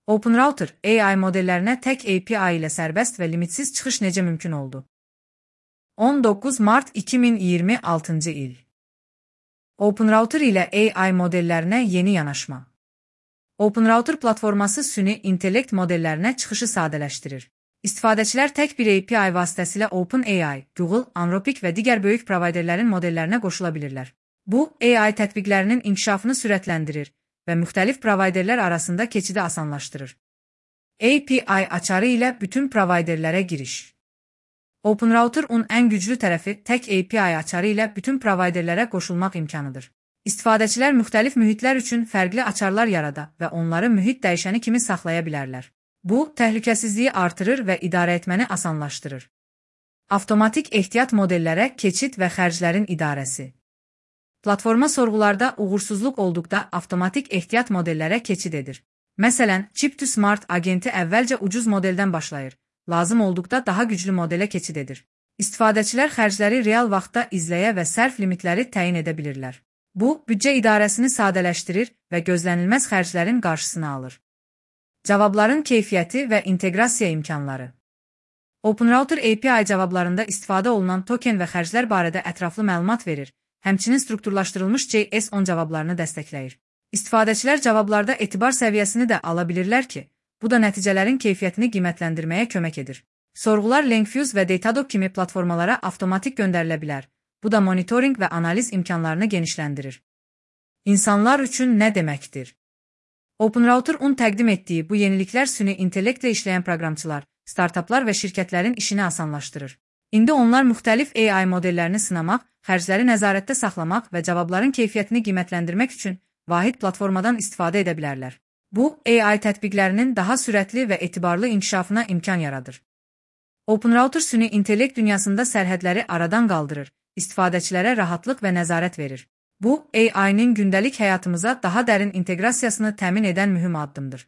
OpenRouter, AI modellərinə tək API ilə sərbəst və limitsiz çıxış necə mümkün oldu? 19 mart 2026 il. OpenRouter ilə AI modellərinə yeni yanaşma. OpenRouter platforması süni intellekt modellərinə çıxışı sadələşdirir. İstifadəçilər tək bir API vasitəsilə OpenAI, Google, Anthropic və digər böyük provayderlərin modellərinə qoşula bilirlər. Bu, AI tətbiqlərinin inkişafını sürətləndirir və müxtəlif provayderlər arasında keçidi asanlaşdırır. API açarı ilə bütün provayderlərə giriş. OpenRouter-un ən güclü tərəfi tək API açarı ilə bütün provayderlərə qoşulmaq imkanıdır. İstifadəçilər müxtəlif mühitlər üçün fərqli açarlar yarada və onları mühit dəyişəni kimi saxlaya bilərlər. Bu, təhlükəsizliyi artırır və idarə etməni asanlaşdırır. Avtomatik ehtiyat modellərə keçid və xərclərin idarəsi. Platforma sorğularda uğursuzluq olduqda avtomatik ehtiyat modellərə keçid edir. Məsələn, Chip2Smart agenti əvvəlcə ucuz modeldən başlayır, lazım olduqda daha güclü modelə keçid edir. İstifadəçilər xərcləri real vaxtda izləyə və sərf limitləri təyin edə bilirlər. Bu, büdcə idarəsini sadələşdirir və gözlənilməz xərclərin qarşısını alır. Cavabların keyfiyyəti və inteqrasiya imkanları. OpenRouter API cavablarında istifadə olunan token və xərclər barədə ətraflı məlumat verir, həmçinin strukturlaşdırılmış JS10 cavablarını dəstəkləyir. İstifadəçilər cavablarda etibar səviyyəsini də ala bilirlər ki, bu da nəticələrin keyfiyyətini qiymətləndirməyə kömək edir. Sorğular Langfuse və Datadog kimi platformalara avtomatik göndərilə bilər. Bu da monitoring və analiz imkanlarını genişləndirir. İnsanlar üçün nə deməkdir? OpenRouter-un təqdim etdiyi bu yeniliklər süni intellektlə işləyən proqramçılar, startaplar və şirkətlərin işini asanlaşdırır. İndi onlar müxtəlif AI modellərini sınamaq, xərcləri nəzarətdə saxlamaq və cavabların keyfiyyətini qiymətləndirmək üçün vahid platformadan istifadə edə bilərlər. Bu, AI tətbiqlərinin daha sürətli və etibarlı inkişafına imkan yaradır. OpenRouter süni intellekt dünyasında sərhədləri aradan qaldırır, istifadəçilərə rahatlıq və nəzarət verir. Bu, AI-nin gündəlik həyatımıza daha dərin inteqrasiyasını təmin edən mühüm addımdır.